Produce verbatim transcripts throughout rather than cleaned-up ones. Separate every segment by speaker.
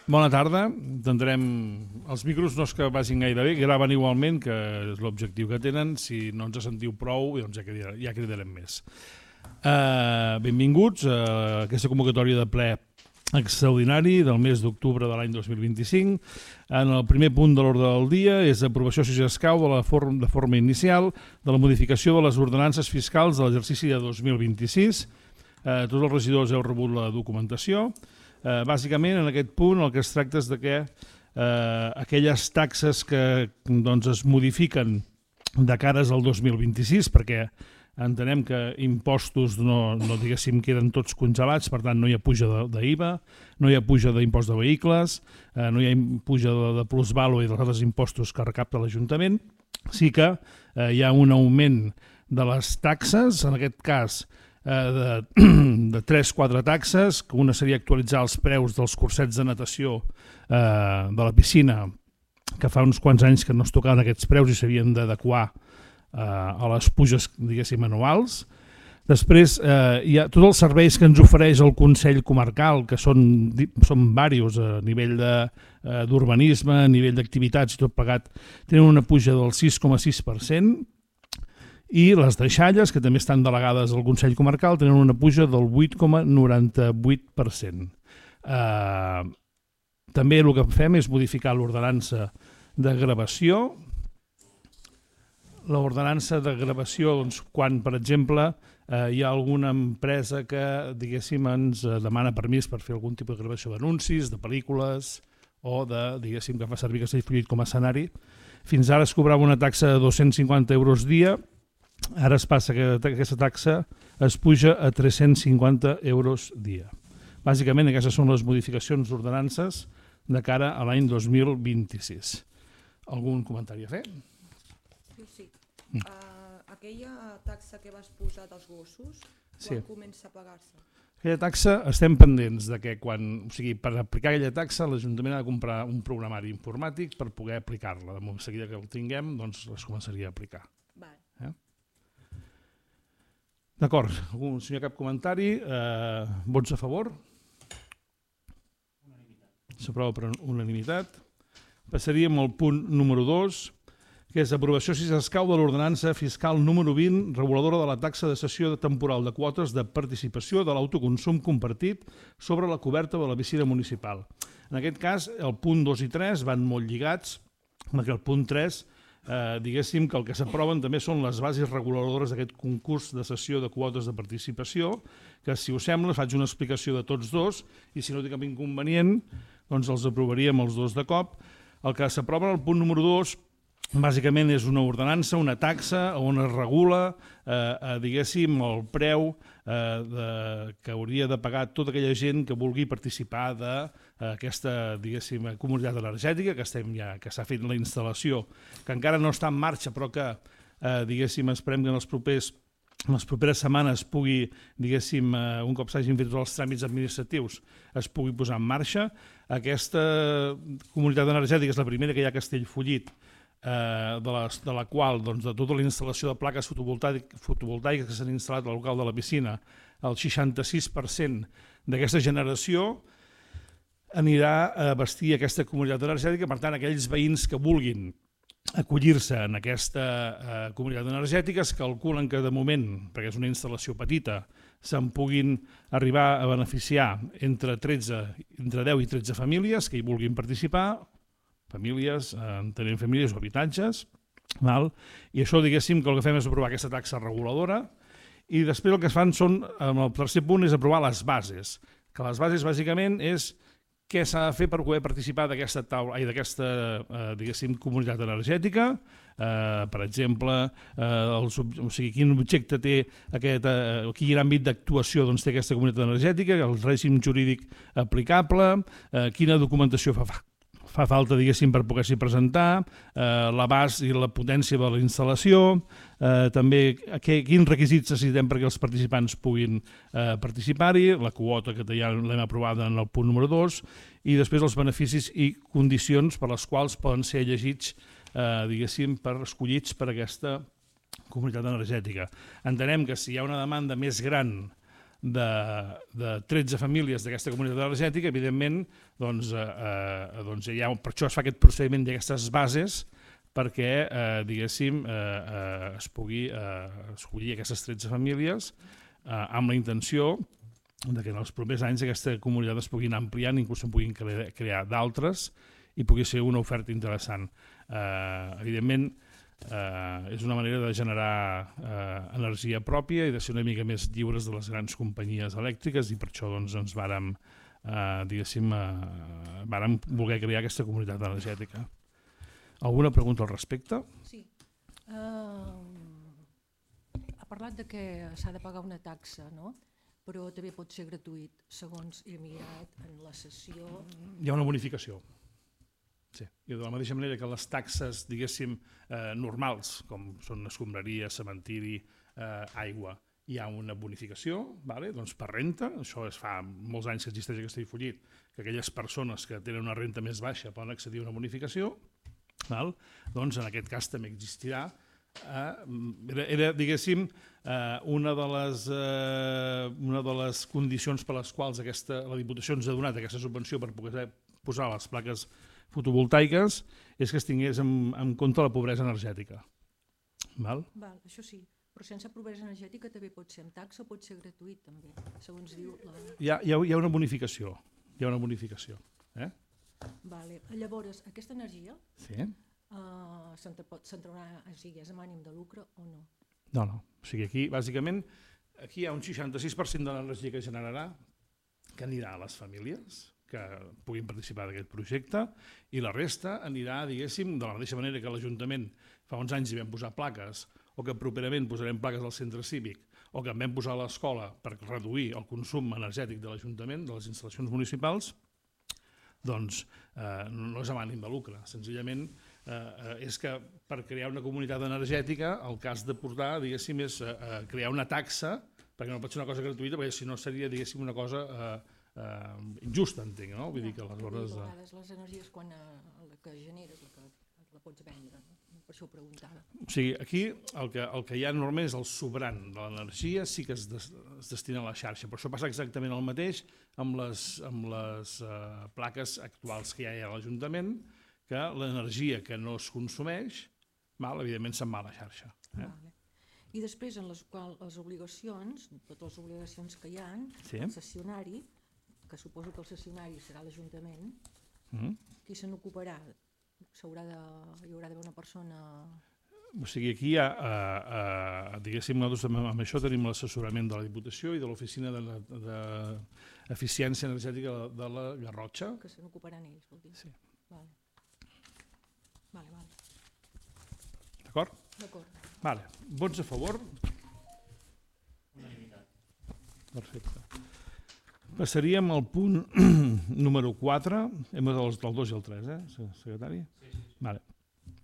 Speaker 1: Bona tarda. Intentarem... Els micros no és que vagin gaire bé, graven igualment, que és l'objectiu que tenen. Si no ens sentiu prou, doncs ja cridarem, ja cridarem més. Uh, benvinguts a aquesta convocatòria de ple extraordinari del mes d'octubre de l'any dos mil vint-i-cinc. En el primer punt de l'ordre del dia és aprovació, si s'escau, de la forma, de forma inicial de la modificació de les ordenances fiscals de l'exercici de dos mil vint-i-sis. Uh, tots els regidors heu rebut la documentació. Uh, bàsicament, en aquest punt el que es tracta és de que uh, aquelles taxes que doncs, es modifiquen de cares al dos mil vint-i-sis, perquè entenem que impostos no, no diguéssim queden tots congelats, per tant no hi ha puja d'I V A, no hi ha puja d'impost de vehicles, uh, no hi ha puja de, de plusvàlua i dels altres impostos que recapta l'Ajuntament. Sí que uh, hi ha un augment de les taxes, en aquest cas de, de tres quatre taxes, que una seria actualitzar els preus dels cursets de natació eh, de la piscina, que fa uns quants anys que no es tocaven aquests preus i s'havien d'adequar eh, a les puges, diguéssim, anuals. Després eh, hi ha tots els serveis que ens ofereix el Consell Comarcal, que són, són diversos a nivell d'urbanisme, a nivell d'activitats i tot plegat, tenen una puja del sis coma sis per cent, i les deixalles, que també estan delegades al Consell Comarcal, tenen una puja del vuit coma noranta-vuit per cent. Eh, també el que fem és modificar l'ordenança de gravació. L'ordenança de gravació, doncs, quan, per exemple, eh, hi ha alguna empresa que, diguéssim, ens demana permís per fer algun tipus de gravació d'anuncis, de pel·lícules, o de, diguéssim, que fa servir Castellfollit com a escenari. Fins ara es cobrava una taxa de dos-cents cinquanta euros dia. Ara es passa que aquesta taxa es puja a tres-cents cinquanta euros dia. Bàsicament, aquestes són les modificacions d'ordenances de cara a l'any dos mil vint-i-sis. Algun comentari a fer?
Speaker 2: Sí, sí. Mm. Uh, aquella taxa que vas posar dels gossos, quan sí. comença a pagar-se?
Speaker 1: Aquella taxa estem pendents de que quan, o sigui, per aplicar aquella taxa l'Ajuntament ha de comprar un programari informàtic per poder aplicar-la. De seguida que el tinguem, doncs es començaria a aplicar.
Speaker 2: Vale.
Speaker 1: Eh? D'acord, algun senyor cap comentari? Eh, vots a favor? S'aprova per unanimitat. Passaríem al punt número dos, que és aprovació, si s'escau, de l'ordenança fiscal número vint, reguladora de la taxa de cessió temporal de quotes de participació de l'autoconsum compartit sobre la coberta de la piscina municipal. En aquest cas, el punt dos i tres van molt lligats, perquè el punt tres Eh, diguéssim que el que s'aproven també són les bases reguladores d'aquest concurs de cessió de quotes de participació, que si us sembla faig una explicació de tots dos i si no té cap inconvenient doncs els aprovaríem els dos de cop. El que s'aprova en el punt número dos bàsicament és una ordenança, una taxa on es regula eh, eh, diguéssim el preu eh, de, que hauria de pagar tota aquella gent que vulgui participar d'aquesta diguéssim comunitat energètica que estem ja que s'ha fet la instal·lació, que encara no està en marxa però que eh, diguéssim esperem que en els propers en les properes setmanes pugui, diguéssim, eh, un cop s'hagin fet tots els tràmits administratius, es pugui posar en marxa. Aquesta comunitat energètica és la primera que hi ha a Castellfollit, Eh, de, les, de la qual doncs, de tota la instal·lació de plaques fotovoltaiques, fotovoltaiques que s'han instal·lat al local de la piscina, el seixanta-sis per cent d'aquesta generació anirà a abastir aquesta comunitat energètica. Per tant, aquells veïns que vulguin acollir-se en aquesta eh, comunitat energètica es calculen que de moment, perquè és una instal·lació petita, se'n puguin arribar a beneficiar entre, tretze, entre deu i tretze famílies que hi vulguin participar, famílies, entenent famílies o habitatges, val? I això, diguéssim, que el que fem és aprovar aquesta taxa reguladora i després el que es fan són, en el tercer punt, és aprovar les bases, que les bases bàsicament és què s'ha de fer per poder participar d'aquesta taula, d'aquesta, eh, diguéssim, comunitat energètica, eh, per exemple, eh, el, o sigui, quin objecte té aquest, eh, quin àmbit d'actuació doncs, té aquesta comunitat energètica, el règim jurídic aplicable, eh, quina documentació fa fa fa falta, diguéssim, per poder-s'hi presentar, eh, l'abast i la potència de la instal·lació, eh, també que, quins requisits necessitem perquè els participants puguin eh, participar-hi, la quota que ja l'hem aprovada en el punt número dos, i després els beneficis i condicions per les quals poden ser llegits, eh, diguéssim, per escollits per aquesta comunitat energètica. Entenem que si hi ha una demanda més gran de, de tretze famílies d'aquesta comunitat energètica, evidentment, doncs, eh, eh, doncs ja, per això es fa aquest procediment d'aquestes bases perquè, eh, diguéssim, eh, eh, es pugui eh, escollir aquestes tretze famílies eh, amb la intenció de que en els propers anys aquesta comunitat es puguin ampliar, inclús en puguin crear, crear d'altres i pugui ser una oferta interessant. Eh, evidentment, eh, és una manera de generar eh, energia pròpia i de ser una mica més lliures de les grans companyies elèctriques i per això doncs, ens vàrem, eh, diguéssim, eh, vàrem voler crear aquesta comunitat energètica. Alguna pregunta al respecte?
Speaker 3: Sí. Uh, ha parlat de que s'ha de pagar una taxa, no? Però també pot ser gratuït, segons he mirat en la sessió.
Speaker 1: Hi ha una bonificació. Sí. I de la mateixa manera que les taxes, diguéssim, eh, normals, com són escombraria, cementiri, eh, aigua, hi ha una bonificació, vale? Doncs per renta, això es fa molts anys que existeix aquest difollit, que aquelles persones que tenen una renta més baixa poden accedir a una bonificació, val? Doncs en aquest cas també existirà. Eh, era, era, diguéssim, eh, una, de les, eh, una de les condicions per les quals aquesta, la Diputació ens ha donat aquesta subvenció per poder posar les plaques fotovoltaiques és que es tingués en, en compte la pobresa energètica. Val?
Speaker 3: Val, això sí, però sense pobresa energètica també pot ser amb taxa o pot ser gratuït també, segons diu la...
Speaker 1: Hi ha, hi ha, hi ha una bonificació, hi ha una bonificació. Eh?
Speaker 3: Vale. Llavors, aquesta energia
Speaker 1: Sí.
Speaker 3: uh, s'entrarà, o sigui, és amb ànim de lucre o no?
Speaker 1: No, no. O sigui, aquí, bàsicament, aquí hi ha un seixanta-sis per cent de l'energia que generarà que anirà a les famílies que puguin participar d'aquest projecte i la resta anirà, diguéssim, de la mateixa manera que l'Ajuntament fa uns anys hi vam posar plaques o que properament posarem plaques al centre cívic o que en vam posar a l'escola per reduir el consum energètic de l'Ajuntament, de les instal·lacions municipals, doncs eh, no és amb ànim de lucre. Senzillament eh, és que per crear una comunitat energètica el cas de portar, diguéssim, és eh, crear una taxa, perquè no pot ser una cosa gratuïta, perquè si no seria, diguéssim, una cosa... Eh, Uh, injusta, entenc, no? Vull dir que aleshores...
Speaker 3: A vegades les energies quan uh, la que generes la, que, la pots vendre, no? Per això ho preguntava.
Speaker 1: O sigui, aquí el que, el que hi ha normalment és el sobrant de l'energia, sí que es, des, es destina a la xarxa, però això passa exactament el mateix amb les, amb les uh, plaques actuals que hi ha a l'Ajuntament, que l'energia que no es consumeix, mal, evidentment se'n va a la xarxa. Eh?
Speaker 3: Vale. I després, en les, qual, les obligacions, totes les obligacions que hi ha,
Speaker 1: sí.
Speaker 3: El cessionari, que suposo que el cessionari serà l'Ajuntament,
Speaker 1: mm.
Speaker 3: qui se n'ocuparà? S'haurà de, hi haurà d'haver una persona...
Speaker 1: O sigui, aquí hi ha, uh, uh, diguéssim, nosaltres amb això tenim l'assessorament de la Diputació i de l'Oficina d'Eficiència Energètica de la Garrotxa.
Speaker 3: Que se n'ocuparan ells, vol dir?
Speaker 1: Sí.
Speaker 3: Vale. Vale, vale.
Speaker 1: D'acord?
Speaker 3: D'acord.
Speaker 1: Vale. Vots a favor? Unanimitat. Perfecte. Passaríem al punt número quatre, hem del dos i el tres, eh, secretari? Sí, sí. Vale.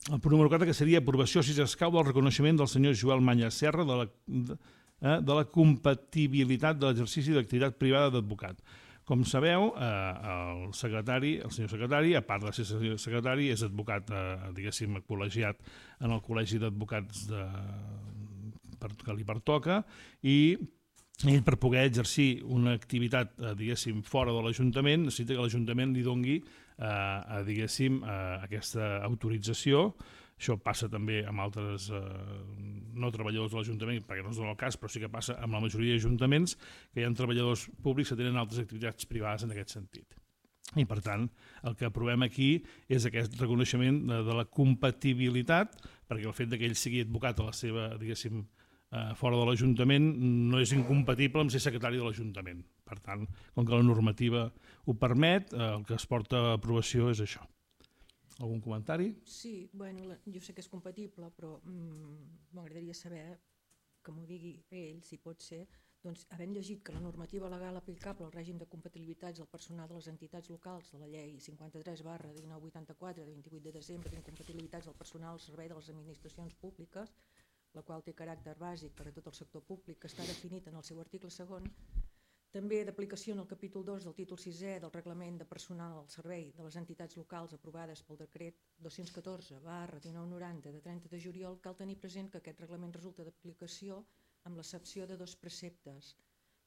Speaker 1: El punt número quatre, que seria aprovació, si s'escau, del reconeixement del senyor Joel Manya Serra de la, de, eh, de la compatibilitat de l'exercici d'activitat privada d'advocat. Com sabeu, eh, el secretari, el senyor secretari, a part de ser secretari, és advocat, eh, diguéssim, col·legiat en el Col·legi d'Advocats de, per, que li pertoca, i ell, per poder exercir una activitat, eh, diguéssim, fora de l'Ajuntament, necessita que l'Ajuntament li dongui eh, diguéssim, eh, aquesta autorització. Això passa també amb altres eh, no treballadors de l'Ajuntament, perquè no es dona el cas, però sí que passa amb la majoria d'ajuntaments, que hi ha treballadors públics que tenen altres activitats privades en aquest sentit. I, per tant, el que aprovem aquí és aquest reconeixement de, de la compatibilitat, perquè el fet que ell sigui advocat a la seva, diguéssim, Uh, fora de l'Ajuntament no és incompatible amb ser secretari de l'Ajuntament. Per tant, com que la normativa ho permet, uh, el que es porta a aprovació és això. Algun comentari?
Speaker 3: Sí, bueno, la, jo sé que és compatible, però mm, m'agradaria saber, que m'ho digui ell, si pot ser, doncs, havent llegit que la normativa legal aplicable al règim de compatibilitats del personal de les entitats locals de la llei cinquanta-tres barra dinou vuitanta-quatre de vint-i-vuit de desembre d'incompatibilitats del personal al servei de les administracions públiques, la qual té caràcter bàsic per a tot el sector públic, que està definit en el seu article segon, també d'aplicació en el capítol dos del títol sisè del Reglament de Personal al Servei de les Entitats Locals aprovades pel decret dos-cents catorze barra dinou noranta de trenta de juliol, cal tenir present que aquest reglament resulta d'aplicació amb l'excepció de dos preceptes.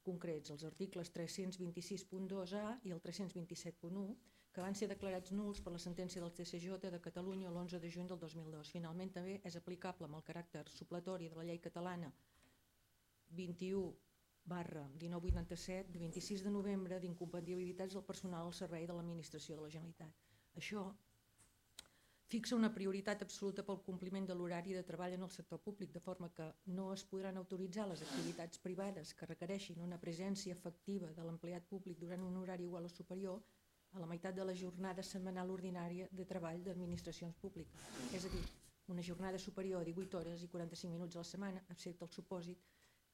Speaker 3: concrets, els articles tres-cents vint-i-sis punt dos A i el tres-cents vint-i-set punt u, que van ser declarats nuls per la sentència del T S J de Catalunya l'onze de juny del dos mil dos. Finalment, també és aplicable amb el caràcter supletori de la llei catalana vint-i-u barra dinou vuitanta-set de vint-i-sis de novembre d'incompatibilitats del personal al servei de l'administració de la Generalitat. Això fixa una prioritat absoluta pel compliment de l'horari de treball en el sector públic, de forma que no es podran autoritzar les activitats privades que requereixin una presència efectiva de l'empleat públic durant un horari igual o superior a la meitat de la jornada setmanal ordinària de treball d'administracions públiques. És a dir, una jornada superior a divuit hores i quaranta-cinc minuts a la setmana, excepte el supòsit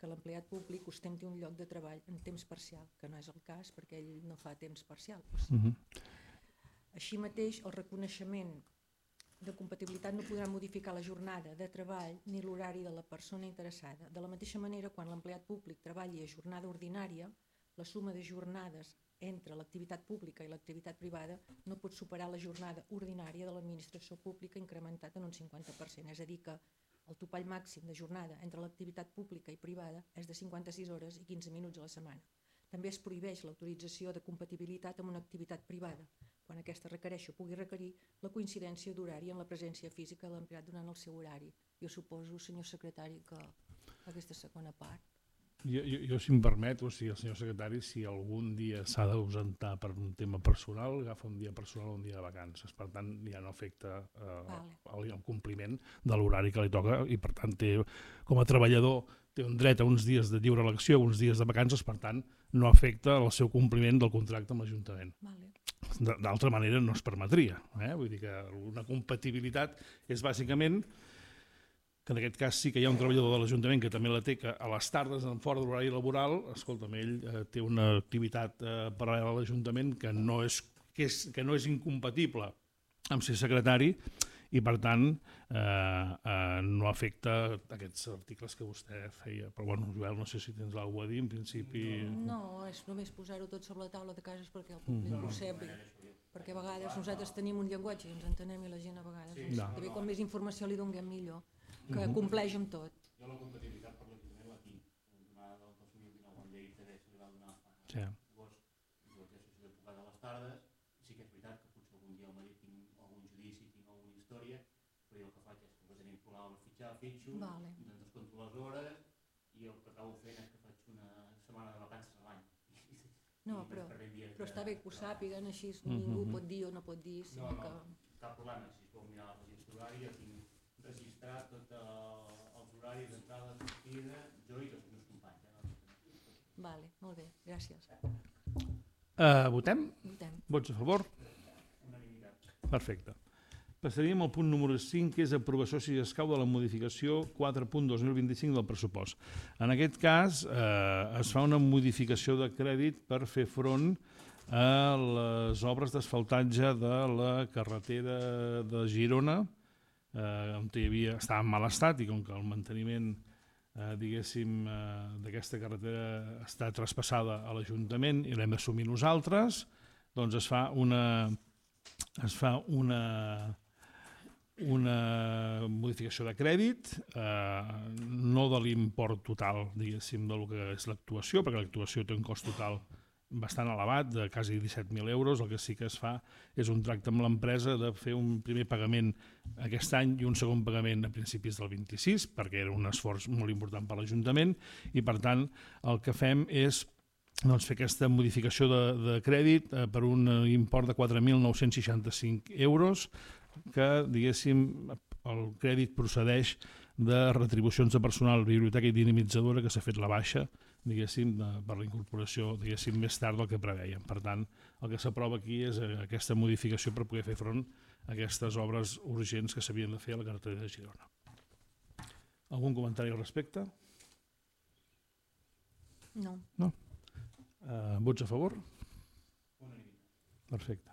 Speaker 3: que l'empleat públic ostenti un lloc de treball en temps parcial, que no és el cas perquè ell no fa temps parcial. O sigui. uh-huh. Així mateix, el reconeixement de compatibilitat no podrà modificar la jornada de treball ni l'horari de la persona interessada. De la mateixa manera, quan l'empleat públic treballi a jornada ordinària, la suma de jornades entre l'activitat pública i l'activitat privada no pot superar la jornada ordinària de l'administració pública incrementat en un cinquanta per cent. És a dir, que el topall màxim de jornada entre l'activitat pública i privada és de cinquanta-sis hores i quinze minuts a la setmana. També es prohibeix l'autorització de compatibilitat amb una activitat privada, quan aquesta requereixi o pugui requerir la coincidència d'horari en la presència física de l'empleat durant el seu horari. Jo suposo, senyor secretari, que aquesta segona part...
Speaker 1: Jo, jo, jo si em permet, o sigui, el senyor secretari, si algun dia s'ha d'ausentar per un tema personal, agafa un dia personal o un dia de vacances. Per tant, ja no afecta eh, vale. el, el compliment de l'horari que li toca i, per tant, té, com a treballador té un dret a uns dies de lliure elecció, uns dies de vacances, per tant, no afecta el seu compliment del contracte amb l'Ajuntament.
Speaker 3: Vale.
Speaker 1: D'altra manera no es permetria. Eh? Vull dir que una compatibilitat és bàsicament que en aquest cas sí que hi ha un treballador de l'Ajuntament que també la té, que a les tardes, en fora de l'horari laboral, escolta'm, ell eh, té una activitat eh, paral·lela a l'Ajuntament que, no és, que, és, que no és incompatible amb ser secretari i, per tant, eh, eh, no afecta aquests articles que vostè feia. Però, bueno, Joel, no sé si tens alguna cosa a dir, en principi...
Speaker 3: No, és només posar-ho tot sobre la taula de cases perquè el públic mm. ho sàpiga. Perquè a vegades nosaltres tenim un llenguatge i ens entenem i la gent a vegades... Sí, no. També com més informació li donem millor, que uh-huh. compleix amb tot.
Speaker 4: Jo la compatibilitat per l'Ajuntament la tinc, donada del dos mil dinou amb llei que se li va donar fa
Speaker 1: sí.
Speaker 4: agost, jo exerceixo d'advocat a les tardes, i sí que és veritat que potser algun dia al matí tinc algun judici, tinc alguna història, però jo el que faig és que tenim programa per fitxar, fitxo, vale. Doncs descompto les hores, i el que acabo fent és que faig una setmana de vacances a l'any.
Speaker 3: No, però, però està bé que ho sàpiguen, així ningú pot dir o no pot dir, sinó
Speaker 4: no, no,
Speaker 3: que...
Speaker 4: cap problema, si es pot mirar la registre horari, jo tinc registrar tots els horaris d'entrada, de sortida, jo i els meus companys. Eh?
Speaker 3: Vale, molt bé, gràcies.
Speaker 1: Uh, votem?
Speaker 3: Votem.
Speaker 1: Vots a favor?
Speaker 4: Unanimitat.
Speaker 1: Perfecte. Passaríem al punt número cinc, que és aprovació si escau de la modificació quatre punt dos mil vint-i-cinc del pressupost. En aquest cas eh, es fa una modificació de crèdit per fer front a les obres d'asfaltatge de la carretera de Girona, eh, on hi havia, estava en mal estat i com que el manteniment eh, diguéssim eh, d'aquesta carretera està traspassada a l'Ajuntament i l'hem d'assumir nosaltres, doncs es fa una es fa una una modificació de crèdit, eh, no de l'import total, diguéssim, del que és l'actuació, perquè l'actuació té un cost total bastant elevat, de quasi disset mil euros. El que sí que es fa és un tracte amb l'empresa de fer un primer pagament aquest any i un segon pagament a principis del vint-i-sis, perquè era un esforç molt important per l'Ajuntament, i per tant el que fem és doncs, fer aquesta modificació de, de crèdit eh, per un import de quatre mil nou-cents seixanta-cinc euros, que, diguéssim, el crèdit procedeix de retribucions de personal, biblioteca i dinamitzadora que s'ha fet la baixa, diguéssim, de, per la incorporació, diguéssim, més tard del que preveiem. Per tant, el que s'aprova aquí és aquesta modificació per poder fer front a aquestes obres urgents que s'havien de fer a la carretera de Girona. Algun comentari al respecte?
Speaker 3: No.
Speaker 1: No? Uh, vots a favor? Perfecte.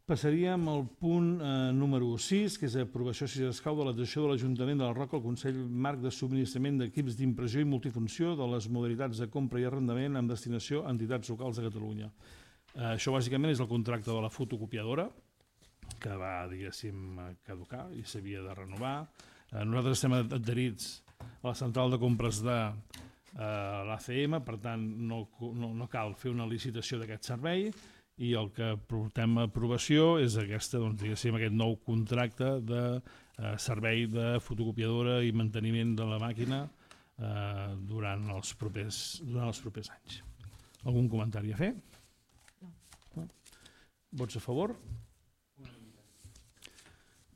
Speaker 1: Passaríem al punt eh, número sis, que és aprovació si s'escau de l'adhesió de l'Ajuntament de la Roca al Consell Marc de Subministrament d'Equips d'Impressió i Multifunció de les modalitats de compra i arrendament amb destinació a entitats locals de Catalunya. Eh, això bàsicament és el contracte de la fotocopiadora, que va, diguéssim, caducar i s'havia de renovar. Eh, nosaltres estem adherits a la central de compres de l'A C M, per tant no, no, no cal fer una licitació d'aquest servei i el que portem a aprovació és aquesta, doncs, diguéssim, aquest nou contracte de eh, servei de fotocopiadora i manteniment de la màquina eh, durant, els propers, durant els propers anys. Algun comentari a fer?
Speaker 3: No.
Speaker 1: No? Vots a favor?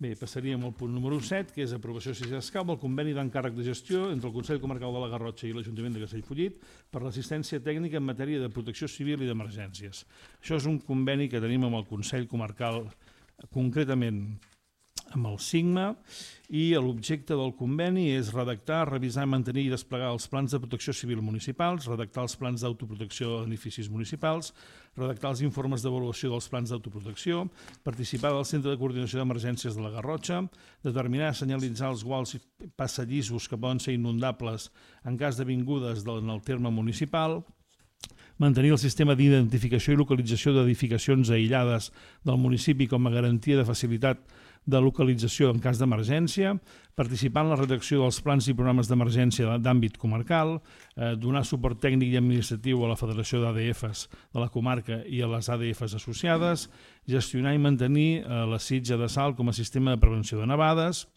Speaker 1: Bé, passaríem al punt número set, que és aprovació si s'escau del conveni d'encàrrec de gestió entre el Consell Comarcal de la Garrotxa i l'Ajuntament de Castellfollit per l'assistència tècnica en matèria de protecció civil i d'emergències. Això és un conveni que tenim amb el Consell Comarcal, concretament amb el SIGMA, i l'objecte del conveni és redactar, revisar, mantenir i desplegar els plans de protecció civil municipals, redactar els plans d'autoprotecció d'edificis municipals, redactar els informes d'avaluació dels plans d'autoprotecció, participar del Centre de Coordinació d'Emergències de la Garrotxa, determinar, senyalitzar els guals i passadissos que poden ser inundables en cas d'avingudes en el terme municipal, mantenir el sistema d'identificació i localització d'edificacions aïllades del municipi com a garantia de facilitat de localització en cas d'emergència, participar en la redacció dels plans i programes d'emergència d'àmbit comarcal, eh, donar suport tècnic i administratiu a la Federació d'A D Fs de la comarca i a les A D Fs associades, gestionar i mantenir eh, la sitja de salt com a sistema de prevenció de nevades,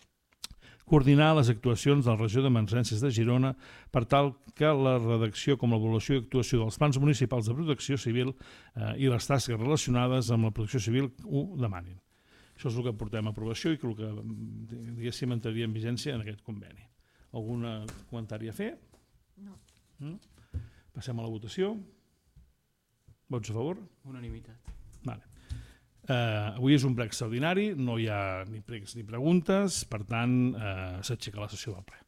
Speaker 1: coordinar les actuacions de la regió d'emergències de Girona per tal que la redacció com l'avaluació i actuació dels plans municipals de protecció civil eh, i les tasques relacionades amb la protecció civil ho demanin. Això és el que portem a aprovació i que el que, diguéssim, entraria en vigència en aquest conveni. Algun comentari a fer?
Speaker 3: No.
Speaker 1: Mm? Passem a la votació. Vots a favor?
Speaker 5: Unanimitat.
Speaker 1: Vale. Uh, avui és un ple extraordinari, no hi ha ni pregs ni preguntes, per tant, uh, s'aixeca la sessió del ple.